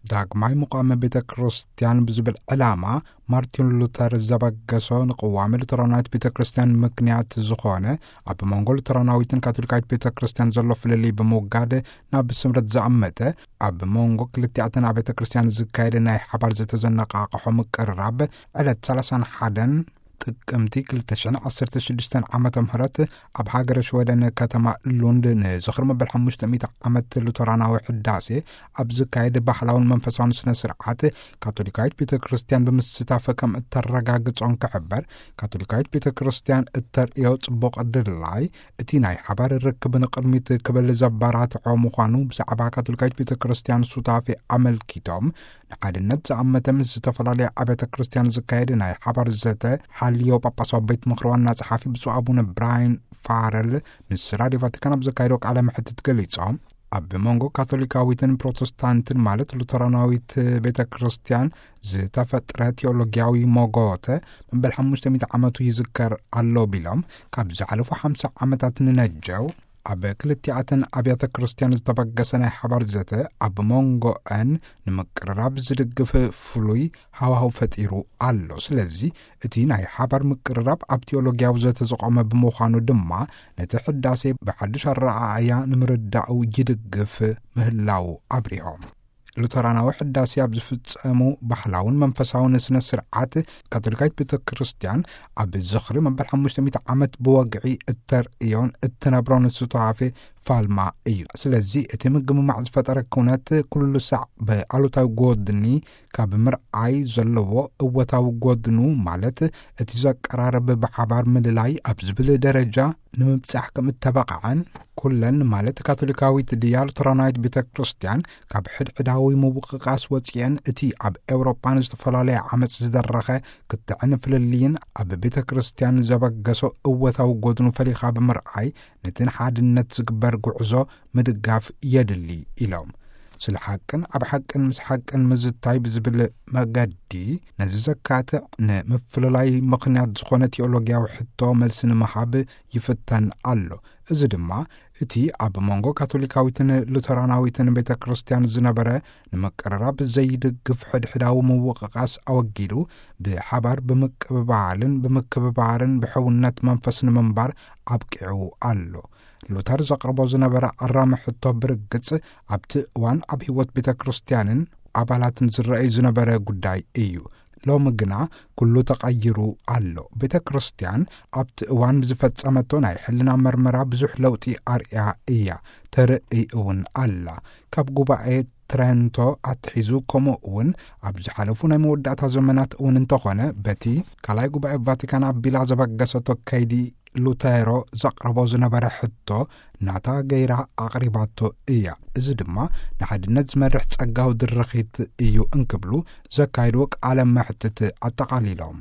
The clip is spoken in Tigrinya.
ዳግማይ ምቋመ ቤተ ክርስቲያን ብዝብል ዕላማ ማርቲን ሉተር ዘበገሶ ንቅዋመ ሉተራናዊት ቤተ ክርስቲያን ምክንያት ዝኾነ፣ ኣብ መንጎ ሉተራናዊትን ካቶሊካዊት ቤተ ክርስቲያን ዘሎ ፍልልይ ብምውጋድ ናብ ስምረት ዘኣመተ፣ ኣብ መንጎ ክልቲኣተን ኣብያተ ክርስቲያን ዝካየደ ናይ ሓባር ዘተዘነቃቕሖ ምቅርራብ ዕለት ሰላሳን ሓደን ጥቅምቲ ክልተ ሽሕን ዓሰርተ ሽዱሽተን ዓመተ ምህረት ኣብ ሃገረ ሽወደን ከተማ ሉንድ ንዝኽሪ መበል ሓሙሽተ ሚእቲ ዓመት ሉተራናዊ ሕዳሴ ኣብ ዝካየድ ባህላውን መንፈሳውን ስነ ስርዓት፣ ካቶሊካዊት ቤተ ክርስቲያን ብምስታፈ ከም እተረጋግጾን ክሕበር፣ ካቶሊካዊት ቤተ ክርስቲያን እተርእዮ ጽቡቕ ድላይ፣ እቲ ናይ ሓባር ርክብ ንቕድሚት ክብል ዘባራትዖ ምዃኑ ብዛዕባ ካቶሊካዊት ቤተ ክርስቲያን ሱታፌ ኣመልኪቶም፣ ንሓድነት ዝኣመተ ምስ ዝተፈላለያ ኣብያተ ክርስቲያን ዝካየድ ናይ ሓባር ዘተ ሓልዮ ጳጳሳዊ ቤት ምኽሪ ዋና ጸሓፊ ብፁዕ ኣቡነ ብራይን ፋረል ምስ ራድዮ ቫቲካን ኣብ ዘካየዶ ቃለ መሕትት ገሊጾም፣ ኣብ መንጎ ካቶሊካዊትን ፕሮቴስታንትን ማለት ሉተራናዊት ቤተ ክርስቲያን ዝተፈጥረ ቴዎሎጊያዊ ሞጎተ መበል ሓሙሽተ ሚእቲ ዓመቱ ይዝከር ኣሎ ቢሎም፣ ካብ ዝሓለፉ ሓምሳ ዓመታት ንነጀው ኣብ ክልቲኣተን ኣብያተ ክርስቲያን ዝተበገሰ ናይ ሓባር ዘተ ኣብ መንጎአን ንምቅርራብ ዝድግፍ ፍሉይ ሃዋህው ፈጢሩ ኣሎ። ስለዚ እቲ ናይ ሓባር ምቅርራብ ኣብ ቴዎሎጊያዊ ዘተ ዝቖመ ብምዃኑ ድማ ነቲ ሕዳሴ ብሓድሽ ኣረኣእያ ንምርዳኡ ይድግፍ ምህላው ኣብሪሆም። ሉተራናዊ ሕዳሴ ኣብ ዝፍጸሙ ባህላውን መንፈሳውን ስነ ስርዓት፣ ካቶሊካዊት ቤተ ክርስቲያን ኣብ ዝኽሪ መበል ሓሙሽተ ሚእቲ ዓመት ብወግዒ እተርእዮን እትነብሮን ሱታፌ ፋልማ እዩ። ስለዚ እቲ ምግምማዕ ዝፈጠረ ኩነት ኩሉ ሳዕ ብኣሉታዊ ጎድኒ ካብ ምርዓይ ዘለዎ እወታዊ ጎድኑ፣ ማለት እቲ ዘቀራርብ ብሓባር ምልላይ ኣብ ዝብል ደረጃ ንምብጻሕ ከም እተበቕዐን፣ ኩለን ማለት ካቶሊካዊት ድያ ሉተራናዊት ቤተ ክርስቲያን ካብ ሕድሕዳዊ ምውቅቃስ ወጺኤን እቲ ኣብ ኤውሮጳ ንዝተፈላለየ ዓመጽ ዝደረኸ ክትዕን ፍልልይን ኣብ ቤተ ክርስቲያን ዘበገሶ እወታዊ ጎድኑ ፈሊኻ ብምርኣይ ነቲ ንሓድነት ዝግበር ጉዕዞ ምድጋፍ የድሊ ኢሎም። ስለ ሓቅን ኣብ ሓቅን ምስ ሓቅን ምዝታይ ብዝብል መገዲ ነዚ ዘካትዕ ንምፍልላይ ምኽንያት ዝኾነ ቴዎሎጊያዊ ሕቶ መልሲ ንምሃብ ይፍተን ኣሎ። እዚ ድማ እቲ ኣብ መንጎ ካቶሊካዊትን ሉተራናዊትን ቤተ ክርስቲያን ዝነበረ ንምቅርራብ ዘይድግፍ ሕድሕዳዊ ምውቕቓስ ኣወጊዱ፣ ብሓባር ብምቅብባልን ብምክብባርን ብሕውነት መንፈስ ንምንባር ኣብቂዑ ኣሎ። ሉተር ዘቕርቦ ዝነበረ ኣራሚ ሕቶ ብርግጽ ኣብቲ እዋን ኣብ ህይወት ቤተ ክርስቲያንን ኣባላትን ዝረኣይ ዝነበረ ጉዳይ እዩ። ሎሚ ግና ኩሉ ተቐይሩ ኣሎ። ቤተ ክርስቲያን ኣብቲ እዋን ብዝፈጸመቶ ናይ ሕልና መርመራ ብዙሕ ለውጢ ኣርእያ እያ፣ ተርእይ እውን ኣላ። ካብ ጉባኤ ትረንቶ ኣትሒዙ፣ ከምኡ እውን ኣብ ዝሓለፉ ናይ መወዳእታ ዘመናት እውን እንተኾነ፣ በቲ ካልኣይ ጉባኤ ቫቲካን ኣቢላ ዘበገሰቶ ከይዲ ሉተሮ ዘቕረቦ ዝነበረ ሕቶ ናታ ገይራ ኣቕሪባቶ እያ። እዚ ድማ ንሓድነት ዝመርሕ ጸጋዊ ድርኺት እዩ እንክብሉ ዘካየድዎ ቃለ መሕትት ኣጠቓሊሎም።